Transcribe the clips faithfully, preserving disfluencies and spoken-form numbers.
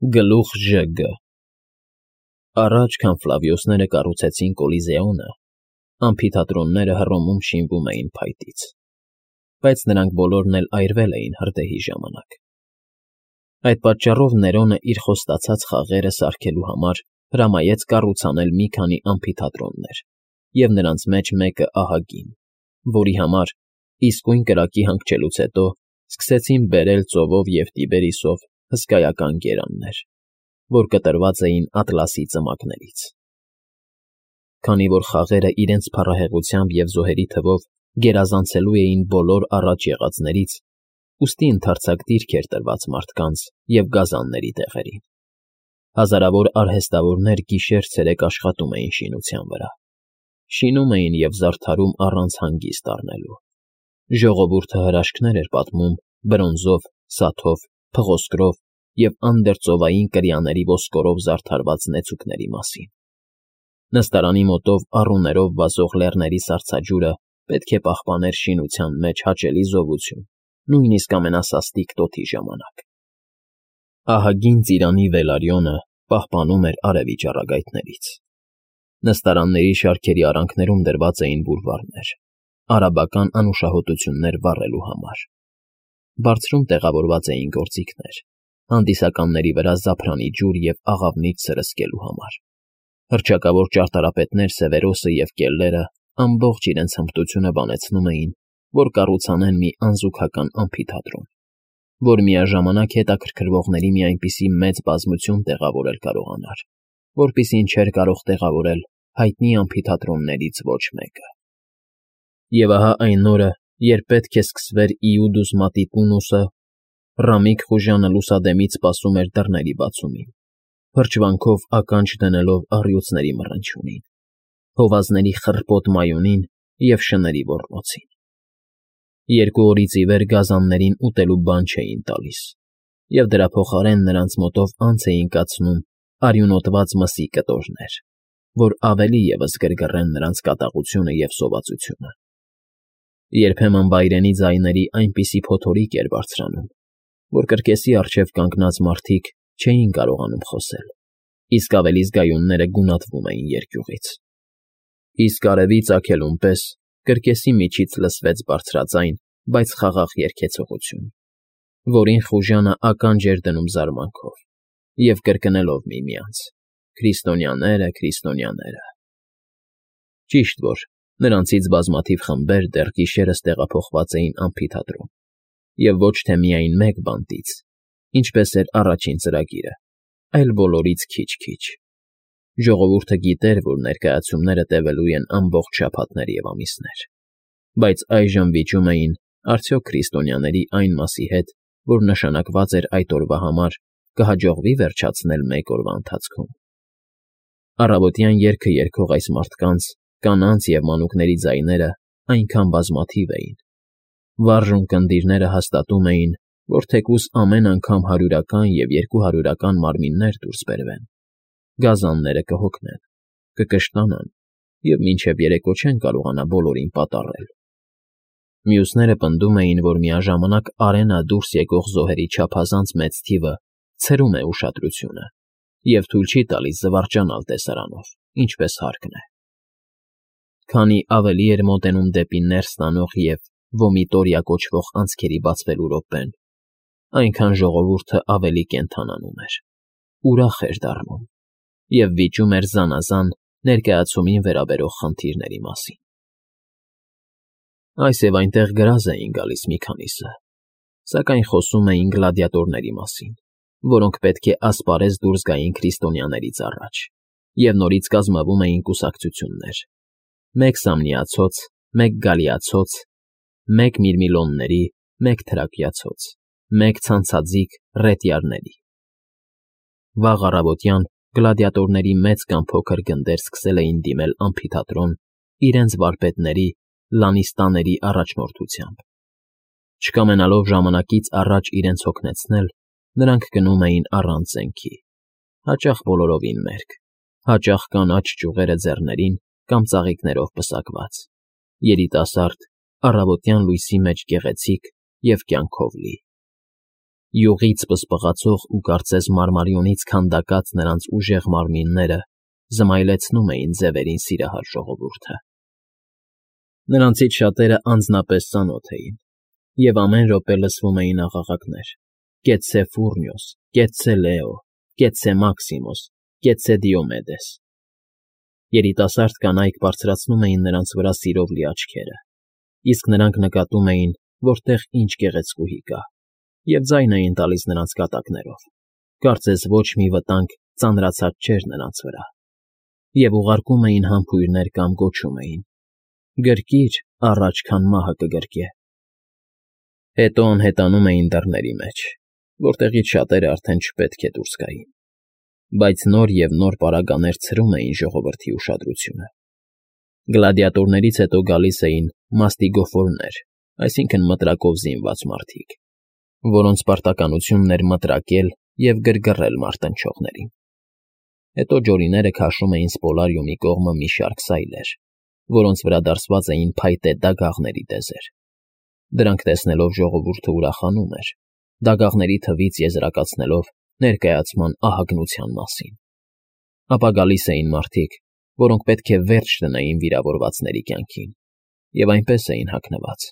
Գլուխ Ժ Գ Առաջ, քան Ֆլավիոսները կառուցեցին Կոլիզեոնը, ամֆիթատրոնները Հռոմում շինվում էին փայտից, բայց նրանք բոլորն էլ այրվել էին հրդեհի ժամանակ. այդ պատճառով Ներոնը իր խոստացած խաղերը սարքելու համար հրամայեց կառուցանել մի քանի ամֆիթատրոններ և նրանց մեջ մեկը ահագին, որի համար, իսկույն կրակի հանգչելուց հետո, սկսեցին բերել ծովով և Տիբերիսով հսկայական գերաններ, որ կտրված էին ատլասի ծմակներից։ Քանի որ խաղերը իրենց փառահեղաթյամբ և զոհերի թվով գերազանցելու էին բոլոր առաջ եղածներից, ուստի ընդարձակ դիրք էր տրված մարդկանց և գազանների տեղերին։ Հազարավոր արհեստավորներ գիշեր֊ցերեկ աշխատում էին շինության վրա, շինում էին և զարդարում առանց հանգիստ առնելու։ Ժողովուրդը հրաշքներ էր պատմում բրոնզով, սաթով, փղոսկրով և անդերծովային կրիաների ոսկորով զարդարված նեցուկների մասին։ Նստարանի մոտով առուներով վազող լեռների սառցաջուրը պետք է պահպաներ շինության մեջ հաճելի զովություն, նույնիսկ ամենասաստիկ տոթի ժամանակ։ Ահագին ծիրանի Վելարիոնը պահպանում էր արևի ճառագայթներից։ Նստարանների շարքերի արանքներում դրված էին բուրվարներ, արաբական անուշահոտություններ վառելու համար։ Բարձրում տեղավորված էին գործիքներ, հանդիսականների վրա զափրանի ջուր և աղավնիչ սրսկելու համար։ Հռչակավոր ճարտարապետներ Սևերոսը և Կելլերը ամբողջ իրենց հմտությունը բանեցնում էին, որ կառուցանեն մի անզուգական ամֆիթատրոն, որ միաժամանակ հետաքրքրվողների մի այնպիսի մեծ բազմություն տեղավորել կարողանար, որպիսին չէր կարող տեղավորել հայտնի ամֆիթատրոններից ոչ մեկը։ Եվ ահա այն օրը, երբ պետք է սկսվեր Իուդուս Մատիպունուսը, Ռամիկ խուժանը լուսադեմից սպասում էր դռների բացումին, փրչվանքով ականջ դնելով առյուծների մռնչյունին, հովազների խռպոտ մայունին և շների ոռնոցին։ Երկու օրից ի վեր գազաններին ուտելու բան չէին տալիս, և դրա փոխարեն նրանց մոտով անց էին կացնում արյունոտված մսի կտորներ, որ ավելի ևս գրգռեն նրանց կատաղությունը և սովածությունը։ Երբեմն վայրենի ձայների այնպիսի փոթորիկ էր բարձրանում, որ կրկեսի առջև կանգնած մարդիկ չէին կարողանում խոսել, իսկ ավելի զգայունները գունատվում էին երկյուղից։ Իսկ արևի ծագելուն պես կրկեսի միջից լսվեց բարձրաձայն, բայց խաղաղ երգեցողություն, որին խուժանը ականջ էր դնում զարմանքով և կրկնելով միմյանց. «Քրիստոնյաները, քրիստոնյաները»։ Ճիշտ որ, նրանցից բազմաթիվ խմբեր դեռ գիշերս տեղափոխված էին ամֆիթատրոն, և ոչ թե միայն մեկ բանտից, ինչպես էր առաջին ծրագիրը, այլ բոլորից քիչ֊քիչ։ Ժողովուրդը գիտեր, որ ներկայացումները տևելու են ամբողջ շաբաթներ և ամիսներ, բայց այժմ վիճում էին արդյոք քրիստոնյաների այն մասի հետ, որ նշանակված էր այդ օրվա համար, կհաջողվի՞ վերջացնել մեկ օրվա ընթացքում։ Առավոտյան երգը երգող այս մարդկանց, կանանց և մանուկների ձայները այնքան բազմաթիվ էին։ Վառ ունկնդիրները հաստատում էին, որ թեկուզ ամեն անգամ հարյուրական և երկուհարյուրական մարմիններ դուրս բերվեն, գազանները կհոգնեն, կկշտանան և մինչև երեկո չեն կարողանա բոլորին պատառել։ Մյուսները պնդում էին, որ միաժամանակ արենա դուրս եկող զոհերի չափազանց մեծ թիվը ցրում է ուշադրությունը և թույլ չի տալիս զվարճանալ տեսարանով, ինչպես հարկն է։ Քանի ավելի էր մոտենում դեպի ներս տանող և վոմիտորիա կոչվող անցքերի բացվելու րոպեն, այնքան ժողովուրդը ավելի կենդանանում էր, ուրախ էր դառնում և վիճում էր զանազան ներկայացումին վերաբերող խնդիրների մասին։ Այս և այնտեղ գրազ էին գալիս մի քանիսը, սակայն խոսում էին գլադիատորների մասին, որոնք պետք է ասպարեզ դուրս գային քրիստոնյաներից առաջ, և նորից կազմվում էին կուսակցություններ. մեկ Սամնիացոց, մեկ Գալիացոց, մեկ Միրմիլոնների, մեկ Թրակիացոց, մեկ ցանցաձիգ Ռետիարների։ Վաղ առավոտյան գլադիատորների մեծ կամ փոքր գնդեր սկսել էին դիմել ամֆիթատրոն իրենց վարպետների, լանիստաների առաջնորդությամբ։ Չկամենալով ժամանակից առաջ իրենց հոգնեցնել, նրանք գնում էին առանց զենքի, հաճախ բոլորովին մերկ, հաճախ կանաչ ճյուղերը ձեռներին կամ ծաղիկներով պսակված, երիտասարդ, առավոտյան լույսի մեջ գեղեցիկ և կյանքով լի։ Յուղից պսպղացող ու կարծես մարմարիոնից քանդակած նրանց ուժեղ մարմինները զմայլեցնում էին ձևերին սիրահար ժողովուրդը։ Նրանցից շատերը անձնապես ծանոթ էին, և ամեն րոպե լսվում էին աղաղակներ. «Կեցցե Ֆուռնիոս, կեցցե Լեո, կեցցե Մաքսիմոս, կեցցե Դիոմեդես»։ Երիտասարդ կանայք բարձրացնում էին նրանց վրա սիրով լի աչքերը, իսկ նրանք նկատում էին, որտեղ ինչ գեղեցկուհի կա, և ձայն էին տալիս նրանց կատակներով, կարծես ոչ մի վտանգ ծանրացած չէր նրանց վրա, և ուղարկում էին համբույրներ կամ գոչում էին. «Գրկիր, առաջ քան մահը կգրկե»։ Հետո անհետանում էին դռների մեջ, որտեղից շատերը արդեն չպետք է դուրս գային, բայց նոր և նոր պարագաներ ցրում էին ժողովրդի ուշադրությունը։ Գլադիատորներից հետո գալիս էին մաստիգոֆորներ, այսինքն մտրակով զինված մարդիկ, որոնց պարտականությունն էր մտրակել և գրգռել մարտնչողներին։ Հետո ջորիները քաշում էին Սպոլարիումի կողմը մի շարք սայլեր, որոնց վրա դարսված էին փայտե դագաղների տեզեր։ Դրանք տեսնելով ժողովուրդը ուրախանում էր, դագաղների թվից եզրակացնելով ներկայացման ահագնության մասին։ Ապա գալիս էին մարդիկ, որոնք պետք է վերջ դնեին վիրավորվածների կյանքին, և այնպես էին հագնված,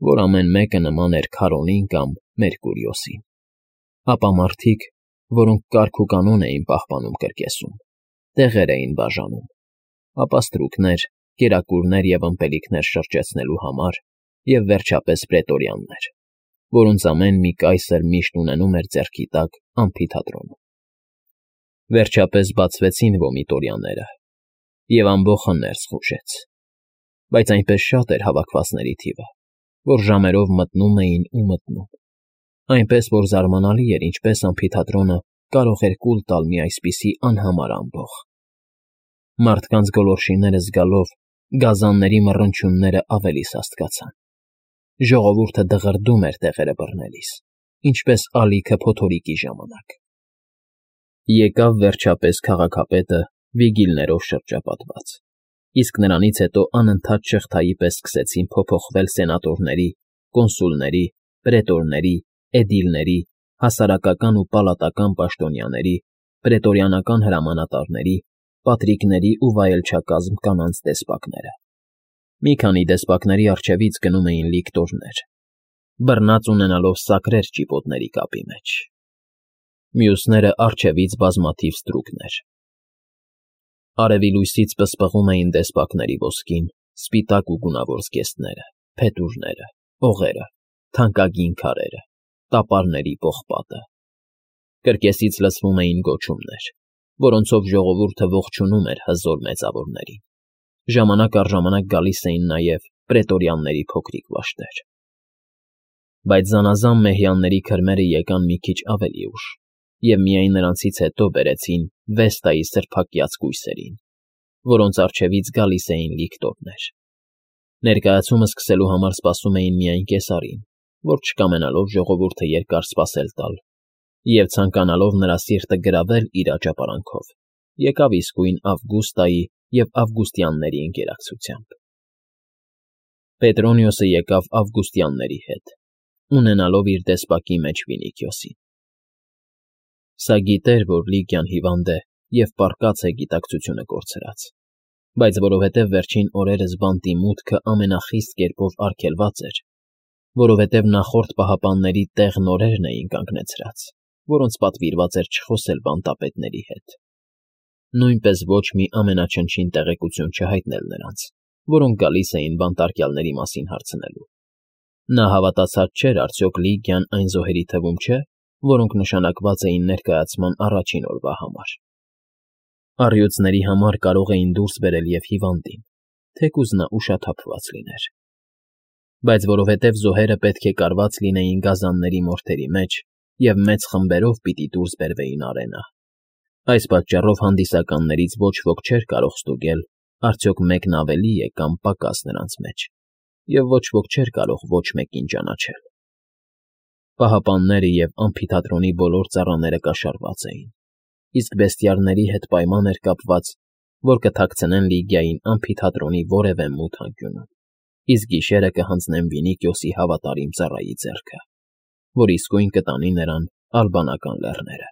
որ ամեն մեկը նման էր Քարոնին կամ Մերկուրիոսին։ Ապա մարդիկ, որոնք կարգ ու կանոն էին պահպանում կրկեսում, տեղեր էին բաժանում, ապա ստրուկներ, կերակուրներ և ըմպելիքներ շրջեցնելու համար, և վերջապես պրետորյաններ, որոնց ամեն մի կայսր միշտ ունենում էր ձեռքի տակ ամֆիթատրոնում։ Վերջապես բացվեցին վոմիտորյաները, և ամբոխը ներս խուժեց, բայց այնպես շատ էր հավաքվածների թիվը, որ ժամերով մտնում էին ու մտնում, այնպես որ զարմանալի էր, ինչպես ամֆիթատրոնը կարող էր կուլ տալ մի այսպիսի անհամար ամբոխ։ Մարդկանց գոլորշիները զգալով գազանների մռնչյունները ավելի սաստկացան։ Ժողովուրդը դղրդում էր տեղերը բռնելիս, ինչպես ալիքը փոթորիկի ժամանակ։ Եկավ վերջապես քաղաքապետը վիգիլներով շրջապատված, իսկ նրանից հետո անընդհատ շղթայի պես սկսեցին փոփոխվել սենատորների, կոնսուլների, պրետորների, էդիլների, հասարակական ու պալատական պաշտոնյաների, պրետորիանական հրամանատարների, պատրիկների ու վայելչակազմ կանանց դեսպակները։ Մի քանի դեսպակների առջևից գնում էին լիկտորներ, բռնած ունենալով սակրեր ճիպոտների կապի մեջ։ Մյուսները առջևից բազմաթիվ ստրուկներ։ Արևի լույսից պսպղում էին դեսպակների ոսկին, սպիտակ ու գունավոր զգեստները, փետուրները, օղերը, թանկագին քարերը, տապարների պողպատը։ Կրկեսից լսվում էին գոչումներ, որոնցով ժողովուրդը ողջունում էր հզոր մեծավորներին։ Ժամանակ առ ժամանակ գալիս էին նաև պրետորյանների փոքրիկ վաշտեր։ Բայց զանազան մեհյանների քրմերը եկան մի քիչ ավելի ուշ, և միայն նրանցից հետո բերեցին Վեստայի սրբակյաց կույսերին, որոնց առջևից գալիս էին լիկտորներ։ Ներկայացումը սկսելու համար սպասում էին միայն կեսարին, որ չկամենալով ժողովուրդը երկար սպասել տալ, և ցանկանալով նրա սիրտը գրավել իր աճապարանքով, եկավ իսկույն Ավգուստայի և ավգուստյանների ընկերակցությամբ։ Պետրոնիոսը եկավ ավգուստյանների հետ, ունենալով իր դեսպակի մեջ Վինիքիոսին։ Սա գիտեր, որ Լիկիան հիվանդ է և պառկած է գիտակցությունը կորցրած, բայց որովհետև վերջին օրերս բանտի մուտքը ամենախիստ կերպով արգելված էր, որովհետև նախորդ պահապանների տեղ նորերն էին կանգնեցրած, որոնց պատվիրված էր չխոսել բանտապետների հետ, նույնպես ոչ մի ամենաչնչին տեղեկություն չհայտնել նրանց, որոնք գալիս էին բանտարկյալների մասին հարցնելու։ Նա հավատացած չէր արդյոք Լիկիան այն զոհերի թվում չէ, որոնք նշանակված էին ներկայացման առաջին օրվա համար։ Առյուծների համար կարող էին դուրս բերել և հիվանդին, թեկուզ նա ուշաթափված լիներ։ Բայց որովհետև զոհերը պետք է կարված լինեին գազանների մորթերի մեջ և մեծ խմբերով պիտի դուրս բերվեին արենա, այս պատճառով հանդիսականներից ոչ ոք չէր կարող ստուգել արդյոք մեկն ավելի է կամ պակաս նրանց մեջ, և ոչ ոք չէր կարող ոչ մեկին ճանաչել։ Պահապանները և ամֆիթատրոնի բոլոր ծառաները կաշառված էին, իսկ բեստիարների հետ պայման էր կապված, որ կթաքցնեն Լիգիային ամֆիթատրոնի որևէ մութ անկյունում, իսկ գիշերը կհանձնեն Վինիքիոսի հավատարիմ ծառայի ձեռքը, որ իսկույն կտանի նրան Ալբանական լեռները։